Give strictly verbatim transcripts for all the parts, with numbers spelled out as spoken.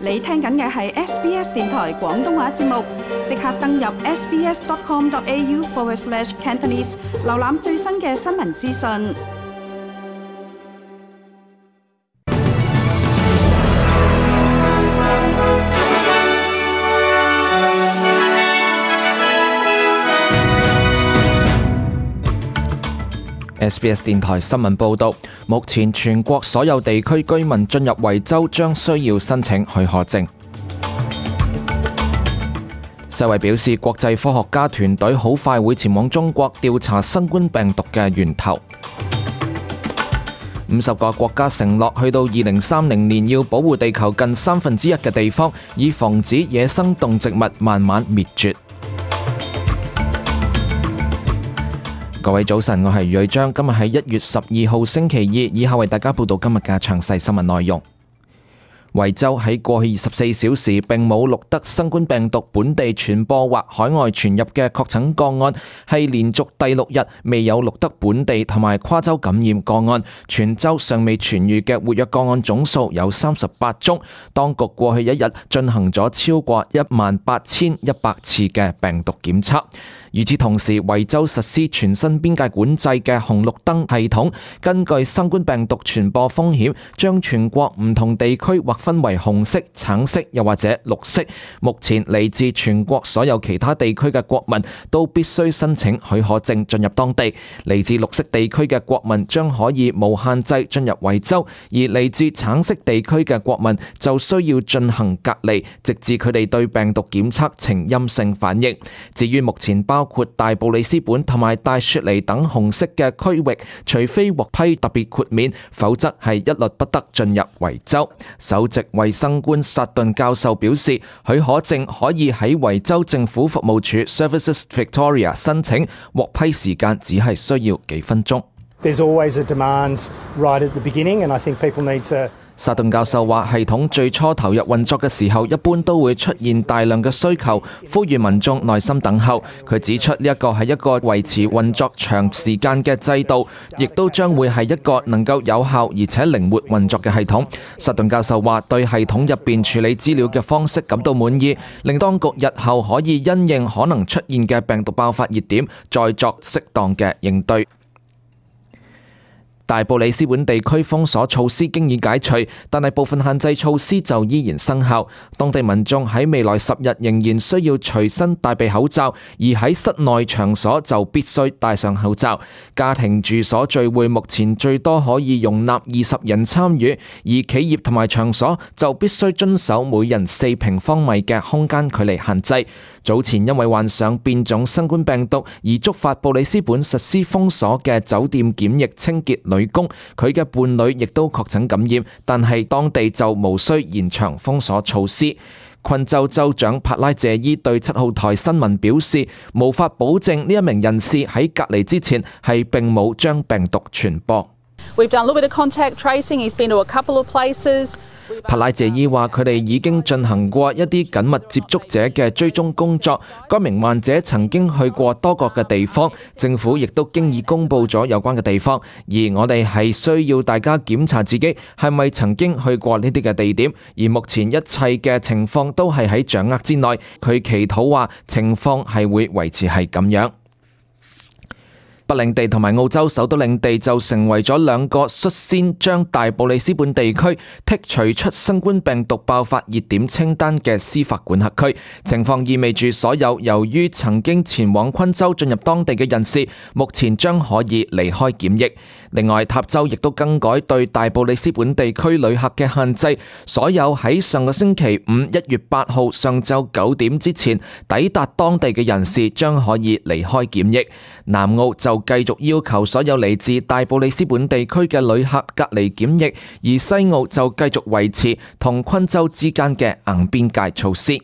你聽緊嘅係 S B S 電台廣東話節目，即刻登入 sbs.com.au forward slash Cantonese， 瀏覽最新嘅新聞資訊。S B S 電台新聞報道，目前全國所有地區居民進入維州將需要申請許可證。世衛表示，國際科學家團隊好快會前往中國調查新冠病毒嘅源頭。五十個國家承諾去到二零三零年要保護地球近三分之一嘅地方，以防止野生動植物慢慢滅絕。各位早晨，我係余瑞章，今日係一月十二號星期二，以下為大家報道今日嘅詳細新聞內容。維州喺過去二十四小時並冇錄得新冠病毒本地傳播或海外傳入嘅確診個案，係連續第六日未有錄得本地同埋跨州感染個案。全州尚未痊癒嘅活躍個案總數有三十八宗。當局過去一日進行咗超過一萬八千一百次嘅病毒檢測。與此同時，維州實施全新邊界管制嘅紅綠燈系統，根據新冠病毒傳播風險，將全國唔同地區劃分為紅色、橙色又或者綠色。目前嚟自全國所有其他地區嘅國民都必須申請許可證進入當地。嚟自綠色地區嘅國民將可以無限制進入維州，而嚟自橙色地區嘅國民就需要進行隔離，直至佢哋對病毒檢測呈陰性反應。至於目前包包括大布里斯本同埋大雪梨等紅色嘅區域，除非獲批特別豁免，否則係一律不得進入維州。首席衛生官薩頓教授表示，許可證可以喺維州政府服務處 Services Victoria 申請，獲批時間只係需要幾分鐘。There's always a demand right at the beginning, and I think people need to薩頓教授話，系統最初投入運作嘅時候，一般都會出現大量嘅需求，呼籲民眾耐心等候。佢指出呢一個係一個維持運作長時間嘅制度，亦都將會係一個能夠有效而且靈活運作嘅系統。薩頓教授話，對系統入邊處理資料嘅方式感到滿意，令當局日後可以因應可能出現嘅病毒爆發熱點，再作適當嘅應對。大布里斯本地區封鎖措施經已解除，但係部分限制措施就依然生效。當地民眾喺未來十日仍然需要隨身帶備口罩，而喺室內場所就必須戴上口罩。家庭住所聚會目前最多可以容納二十人參與，而企業同埋場所就必須遵守每人四平方米嘅空間距離限制。早前因為患上變種新冠病毒而觸發布里斯本實施封鎖嘅酒店檢疫清潔女工，佢嘅伴侶亦都確診感染，但係當地就無需延長封鎖措施。昆州州長帕拉謝伊對七號台新聞表示，無法保證呢一名人士喺隔離之前係並冇將病毒傳播。We've done a little bit of contact tracing. He's been to a couple of places. 帕拉謝伊話：佢哋已經進行過一啲緊密接觸者嘅追蹤工作。該名患者曾經去過多個嘅地方，政府亦都經已公佈咗有關嘅地方。而我哋係需要大家檢查自己係咪曾經去過呢啲嘅地點。而目前一切嘅情況都係喺掌握之內。佢祈禱話情況係會維持係咁樣。北領地同埋澳洲首都領地就成為咗兩個率先將大布里斯本地區剔除出新冠病毒爆發熱點清單嘅司法管轄區。情況意味住所有由於曾經前往昆州進入當地嘅人士，目前將可以離開檢疫。另外，塔州亦都更改對大布里斯本地區旅客嘅限制，所有喺上個星期五一月八號上晝九點之前抵達當地嘅人士將可以離開檢疫。南澳就繼續要求所有嚟自大布里斯本地區嘅旅客隔離檢疫，而西澳就繼續維持同昆州之間嘅硬邊界措施。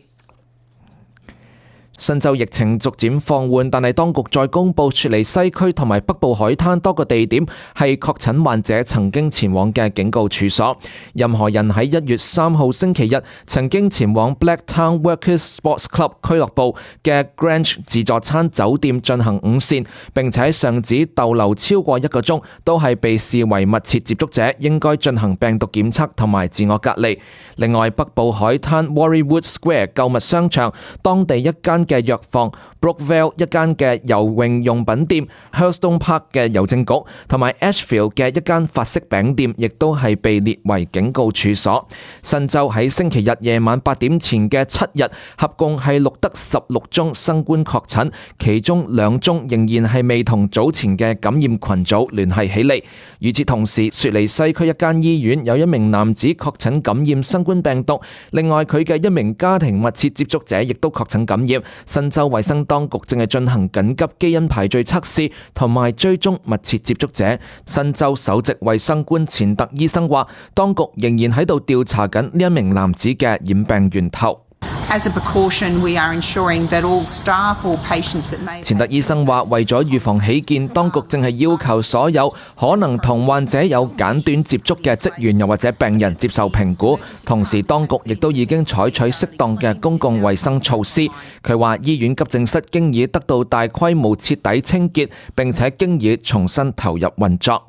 新州疫情逐漸放緩，但係當局再公布雪梨西區同埋北部海灘多個地點係確診患者曾經前往嘅警告處所。任何人喺一月三號星期日曾經前往 Blacktown Workers Sports Club 俱樂部嘅 Grange 自助餐酒店進行午膳，並且喺上址逗留超過一個鐘，都係被視為密切接觸者，應該進行病毒檢測同埋自我隔離。另外，北部海灘 Warriewood Square 購物商場、當地一間嘅藥房、Brookvale 一間嘅游泳用品店、Hurlstone Park 嘅郵政局同埋 Ashfield 嘅一間法式餅店，亦都係被列為警告處所。新州喺星期日夜晚八點前嘅七日，合共係錄得十六宗新冠確診，其中兩宗仍然係未同早前嘅感染群組聯繫起嚟。與此同時，雪梨西區一間醫院有一名男子確診感染新冠病毒，另外佢嘅一名家庭密切接觸者亦都確診感染。新州衛生當局正係進行緊急基因排序測試同埋追蹤密切接觸者。新州首席衛生官錢特醫生話，當局仍然喺度調查緊呢一名男子嘅染病源頭。As a precaution, we are ensuring that all staff or patients that may... 錢特醫生話，為咗預防起見，當局正係要求所有可能同患者有簡短接觸嘅職員又或者病人接受評估，同時當局亦都已經採取適當嘅公共衛生措施。佢話醫院急症室經已得到大規模徹底清潔，並且經已重新投入運作。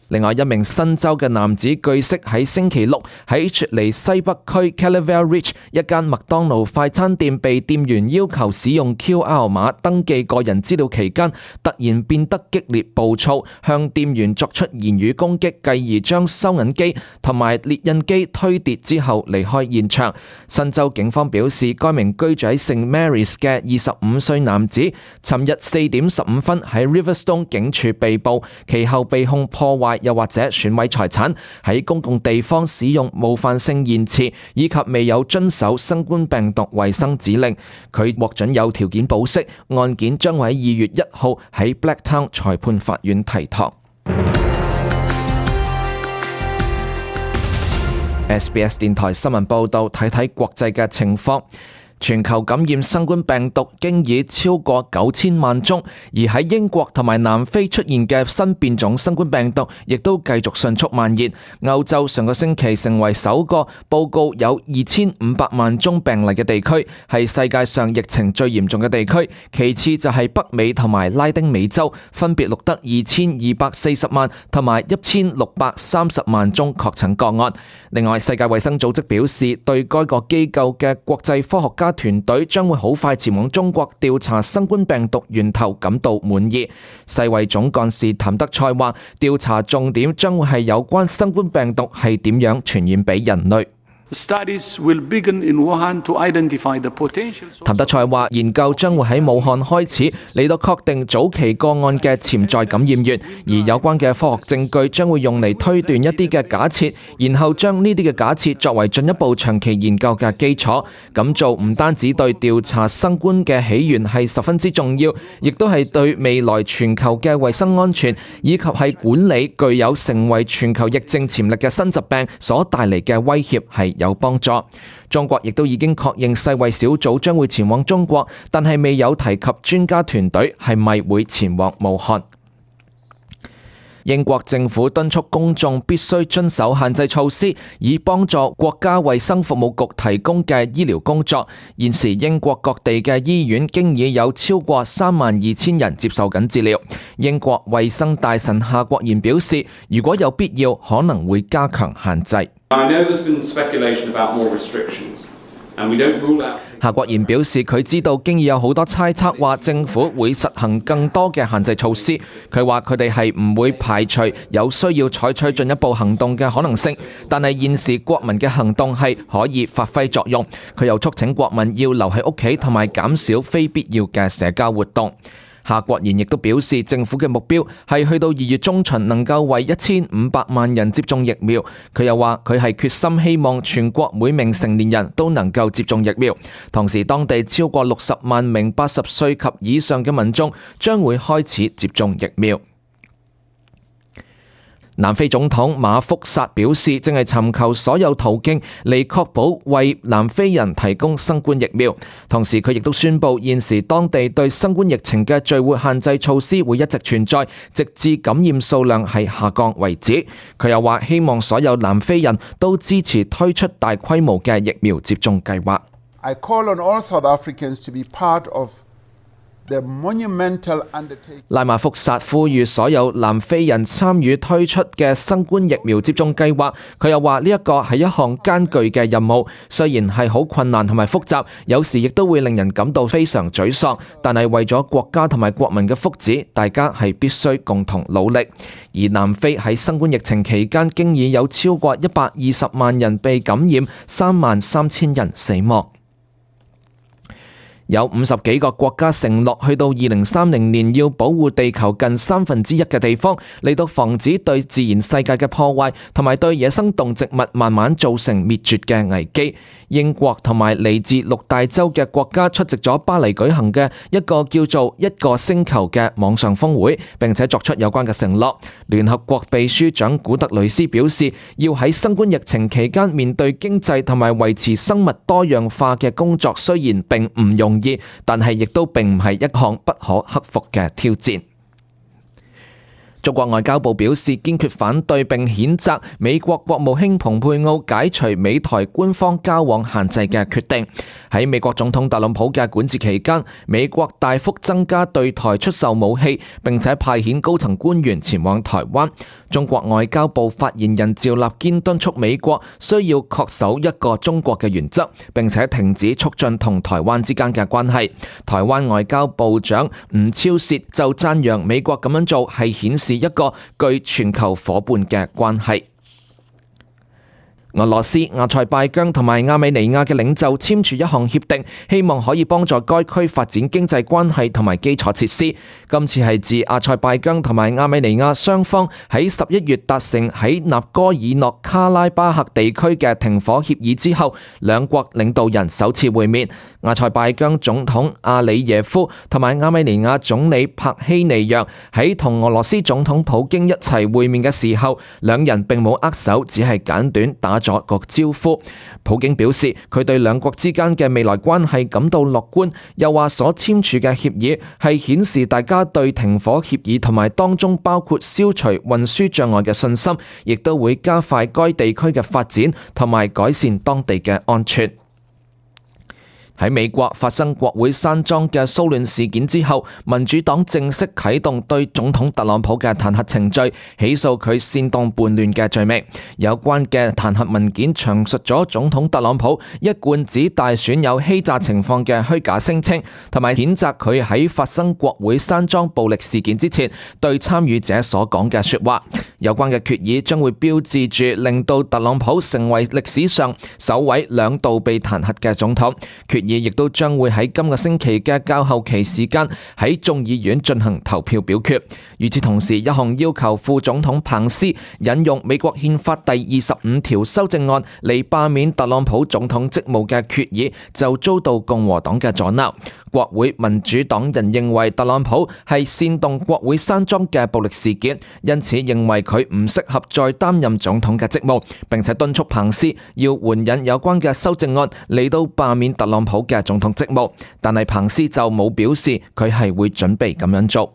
另外一名新州嘅男子據悉喺星期六喺雪梨西北區 Caliver Ridge 一間麥當勞快餐店被店員要求使用 Q R 碼登記個人資料期間，突然變得激烈暴躁，向店員作出言語攻擊，繼而將收銀機同埋列印機推跌之後離開現場。新州警方表示，該名居住喺聖 Mary's 嘅二十五歲男子，尋日四點十五分喺 Riverstone 警署被捕，其後被控破壞又或者損毀財產，喺公共地方使用冒犯性言辭，以及未有遵守新冠病毒衛生指令。佢獲准有條件保釋，案件將會喺二月一號喺 Blacktown 裁判法院提堂。S B S 電台新聞報道，睇睇國際嘅情況。全球感染新冠病毒經已超過九千萬宗，而喺英國同埋南非出現嘅新變種新冠病毒亦都繼續迅速蔓延。歐洲上個星期成為首個報告有二千五百萬宗病例嘅地區，係世界上疫情最嚴重嘅地區。其次就係北美同埋拉丁美洲，分別錄得二千二百四十萬同埋一千六百三十萬宗確診個案。另外，世界衛生組織表示，對該個機構嘅國際科學家團隊將會好快前往中國調查新冠病毒源頭感到滿意。世衛總幹事譚德塞話，調查重點將會係有關新冠病毒係點樣傳染俾人類。Studies will begin in Wuhan to identify the potential. 譚德塞話，研究將會喺武漢開始，嚟到確定早期個案嘅潛在感染源，而有關嘅科學證據將會用嚟推斷一啲嘅假設，然後將呢啲嘅假設作為進一步長期研究嘅基礎。咁做唔單止對調查新冠嘅起源係十分之重要，亦都係對未來全球嘅衛生安全以及係管理具有成為全球疫症潛力嘅新疾病所帶嚟嘅威脅係有幫助。中國亦都已經確認世衛小組將會前往中國，但係未有提及專家團隊係咪會前往武漢。英國政府敦促公眾必須遵守限制措施，以幫助國家衛生服務局提供嘅醫療工作。現時英國各地嘅醫院經已有超過三萬二千人接受緊治療。英國衛生大臣夏國賢表示，如果有必要，可能會加強限制。I know there's been speculation about more restrictions, and we don't rule out. 夏國賢表示，佢知道經已有好多猜測話政府會實行更多嘅限制措施。佢話佢哋係唔會排除有需要採取進一步行動嘅可能性，但係現時國民嘅行動係可以發揮作用。佢又促請國民要留喺屋企同埋減少非必要嘅社交活動。夏國賢亦都表示，政府嘅目標係去到二月中旬能夠為一千五百萬人接種疫苗。佢又話佢係決心希望全國每名成年人都能夠接種疫苗。同時，當地超過六十萬名八十歲及以上嘅民眾將會開始接種疫苗。南非總統馬福薩表示，正係尋求所有途徑嚟確保為南非人提供新冠疫苗。同時，佢亦都宣布現時當地對新冠疫情嘅聚會限制措施會一直存在，直至感染數量係下降為止。佢又話希望所有南非人都支持推出大規模嘅疫苗接種計劃。I call on all South Africans to be part of the monumental undertaking. 拉馬福薩呼籲所有南非人參與推出嘅新冠疫苗接種計劃。佢又話呢一個係一項艱巨嘅任務，雖然係好困難同埋複雜，有時亦都會令人感到非常沮喪，但係為咗國家同埋國民嘅福祉，大家係必須共同努力。而南非喺新冠疫情期間，經已有超過一百二十萬人被感染，三萬三千人死亡。有五十幾個國家承諾去到二零三零年要保護地球近三分之一嘅地方，嚟到防止對自然世界嘅破壞同埋對野生動植物慢慢造成滅絕嘅危機。英國同埋嚟自六大洲嘅國家出席咗巴黎舉行嘅一個叫做一個星球嘅網上峰會，並且作出有關嘅承諾。聯合國秘書長古特雷斯表示，要喺新冠疫情期間面對經濟同埋維持生物多樣化嘅工作，雖然並唔容易，但係亦都並唔係一項不可克服嘅挑戰。中國外交部表示堅決反對並譴責美國國務卿蓬佩奧解除美台官方交往限制嘅決定。喺美國總統特朗普嘅管治期間，美國大幅增加對台出售武器，並且派遣高層官員前往台灣。中國外交部發言人趙立堅敦促美國需要恪守一個中國嘅原則，並且停止促進同台灣之間嘅關係。台灣外交部長吳釗燮就讚揚美國咁樣做係顯示一個具全球夥伴嘅關係。俄羅斯、阿塞拜疆同埋亞美尼亞嘅領袖簽署一項協定，希望可以幫助該區發展經濟關係同埋基礎設施。今次係自阿塞拜疆同埋亞美尼亞雙方喺十一月達成喺納戈爾諾卡拉巴赫地區嘅停火協議之後，兩國領導人首次會面。阿塞拜疆總統阿里耶夫同埋亞美尼亞總理帕希尼揚喺同俄羅斯總統普京一齊會面嘅時候，兩人並冇握手，只係簡短打咗個招呼。普京表示佢對兩國之間嘅未來關係感到樂觀，又話所簽署嘅協議係顯示大家對停火協議同埋當中包括消除運輸障礙嘅信心，亦都會加快該地區嘅發展同埋改善當地嘅安全。喺美國發生國會山莊嘅騷亂事件之後，民主黨正式啟動對總統特朗普嘅彈劾程序，起訴佢煽動叛亂嘅罪名。有關嘅彈劾文件詳述咗總統特朗普一貫指大選有欺詐情況嘅虛假聲稱，同埋譴責佢喺發生國會山莊暴力事件之前對參與者所講嘅說話。有關嘅決議將會標誌住令到特朗普成為歷史上首位兩度被彈劾嘅總統。決議亦都將會喺今個星期嘅較後期時間喺眾議院進行投票表決。與此同時，一項要求副總統彭斯引用美國憲法第二十五條修正案嚟罷免特朗普總統職務嘅決議就遭到共和黨嘅阻撓。國會民主黨人認為特朗普係煽動國會山莊嘅暴力事件，因此認為佢唔適合再擔任總統嘅職務，並且敦促彭斯要援引有關嘅修正案嚟到罷免特朗普嘅總統職務，但係彭斯就冇表示佢係會準備咁樣做。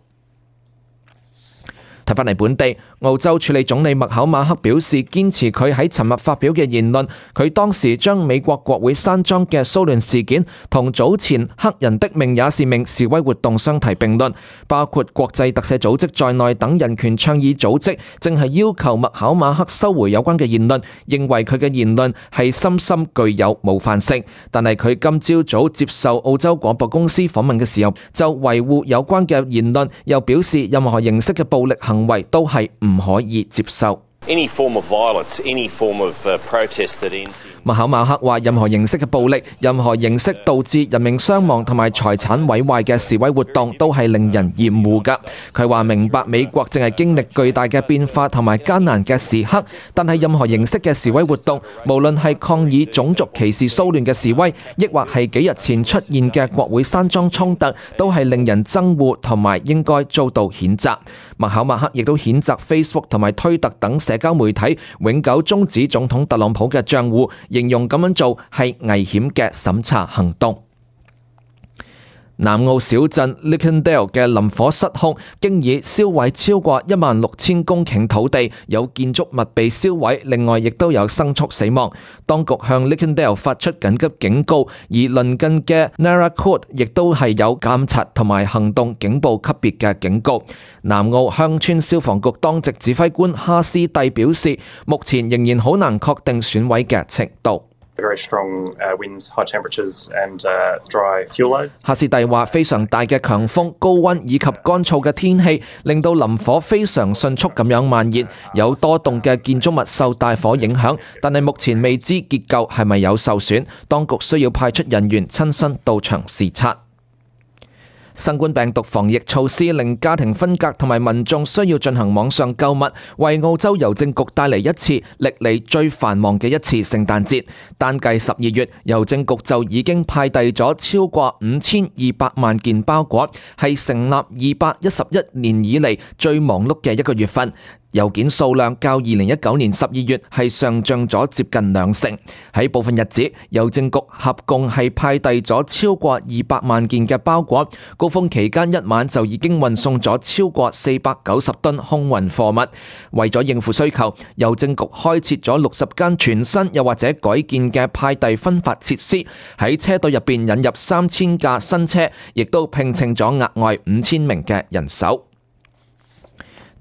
睇返嚟本地，澳洲署理總理麥考馬克表示堅持佢喺尋日發表嘅言論，佢當時將美國國會山莊嘅騷亂事件同早前黑人的命也是命示威活動相提並論，包括國際特赦組織在內等人權倡議組織正係要求麥考馬克收回有關嘅言論，認為佢嘅言論係深深具有冒犯性。但係佢今朝早接受澳洲廣播公司訪問嘅時候，就維護有關嘅言論，又表示任何形式嘅暴力行為都係唔可以接受。Any form of violence, any form of uh, protest that ends. 麥考馬克話：任何形式嘅暴力、任何形式導致人命傷亡同埋財產毀壞嘅示威活動，都係令人厭惡㗎。佢話明白美國正係經歷巨大嘅變化同埋艱難嘅時刻，但係任何形式嘅示威活動，無論係抗議種族歧視騷亂嘅示威，抑或係幾日前出現嘅國會山莊衝突，都係令人憎惡同埋應該遭到譴責。麥考馬克亦都譴責 Facebook 同埋推特等社交媒體永久終止總統特朗普嘅賬戶，形容咁樣做係危險嘅審查行動。南澳小鎮 Leckendale 嘅林火失控，經已燒毀超過一萬六千公頃土地，有建築物被燒毀，另外亦都有牲畜死亡。當局向 Leckendale 發出緊急警告，而鄰近嘅 Narra Court 亦都係有監察同埋行動警報級別嘅警告。南澳鄉村消防局當值指揮官哈斯蒂表示，目前仍然好難確定損毀嘅程度。Very strong uh, winds, high temperatures and uh, dry fuel loads. 哈斯蒂話：非常大嘅強風、高溫以及乾燥嘅天氣，令到林火非常迅速咁樣蔓延，有多棟嘅建築物受大火影響，但係目前未知結構係咪有受損，當局需要派出人員親身到場視察。新冠病毒防疫措施令家庭分隔同埋民眾需要進行網上購物，為澳洲郵政局帶嚟一次歷嚟最繁忙嘅一次聖誕節。單計十二月，郵政局就已經派遞咗超過五千二百萬件包裹，係成立二百一十一年以嚟最忙碌嘅一個月份。郵件數量較二零一九年十二月係上漲咗接近兩成。喺部分日子，郵政局合共係派遞咗超過二百萬件嘅包裹，高峰期間一晚就已經運送咗超過四百九十噸空運貨物。為咗應付需求，郵政局開設咗六十間全新又或者改建嘅派遞分發設施，喺車隊入邊引入三千架新車，亦都聘請咗額外五千名嘅人手。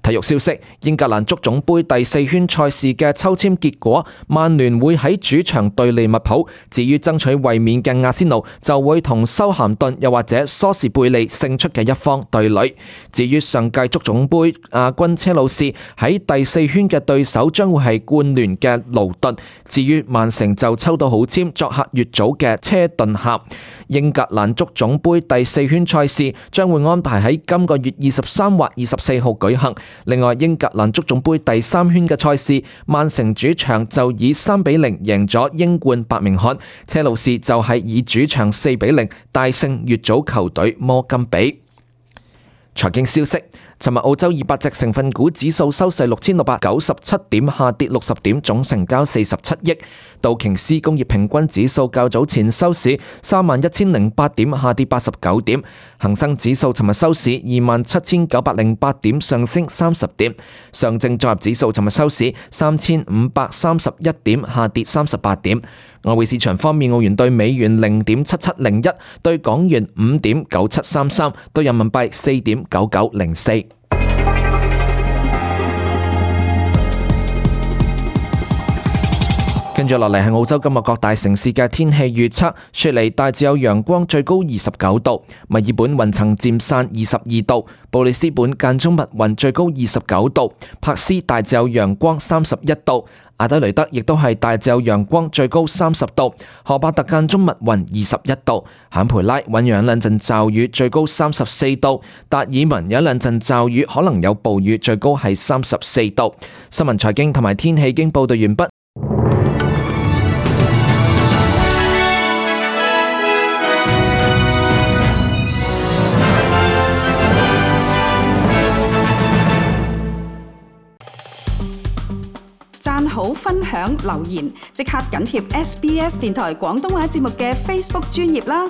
體育消息：英格蘭足總杯第四圈賽事嘅抽籤結果，曼聯會喺主場對利物浦，至於爭取衛冕嘅阿仙奴就會同修咸頓又或者梳士貝利勝出嘅一方對壘。至於上屆足總杯亞軍車路士喺第四圈嘅對手將會係冠聯嘅勞頓，至於曼城就抽到好籤作客乙組嘅車頓峽。英格蘭足總杯第四圈賽事將會安排喺今個月二十三或二十四號舉行。另外，英格蘭足總杯第三圈嘅賽事，曼城主場就以三比零贏咗英冠伯明翰，車路士就係以主場四比零大勝乙組球隊摩金比。財經消息。尋日澳洲二百隻成分股指數收市六千六百九十七點，下跌六十點，總成交四十七億。道瓊斯工業平均指數較早前收市三萬一千零八點，下跌八十九點。恒生指數尋日收市二萬七千九百零八點，上升三十點。上證綜合指數尋日收市三千五百三十一點，下跌三十八點。外匯市場方面，澳元對美元零點七七零一，對港元五點九七三三，對人民幣四點九九零四。跟住落嚟係澳洲今日各大城市嘅天氣預測：雪梨大致有陽光，最高二十九度；墨爾本雲層漸散，二十二度；布里斯本間中密雲，最高二十九度；珀斯大致有陽光，三十一度；阿德雷德亦都係大致有陽光，最高三十度；荷伯特間中密雲，二十一度；坎培拉醞釀兩陣驟雨，最高三十四度；達爾文有兩陣驟雨，可能有暴雨，最高係三十四度。新聞財經同埋天氣已經報道完畢。讚好、分享、留言，即刻緊貼 S B S 電台廣東話節目嘅 Facebook 專頁啦！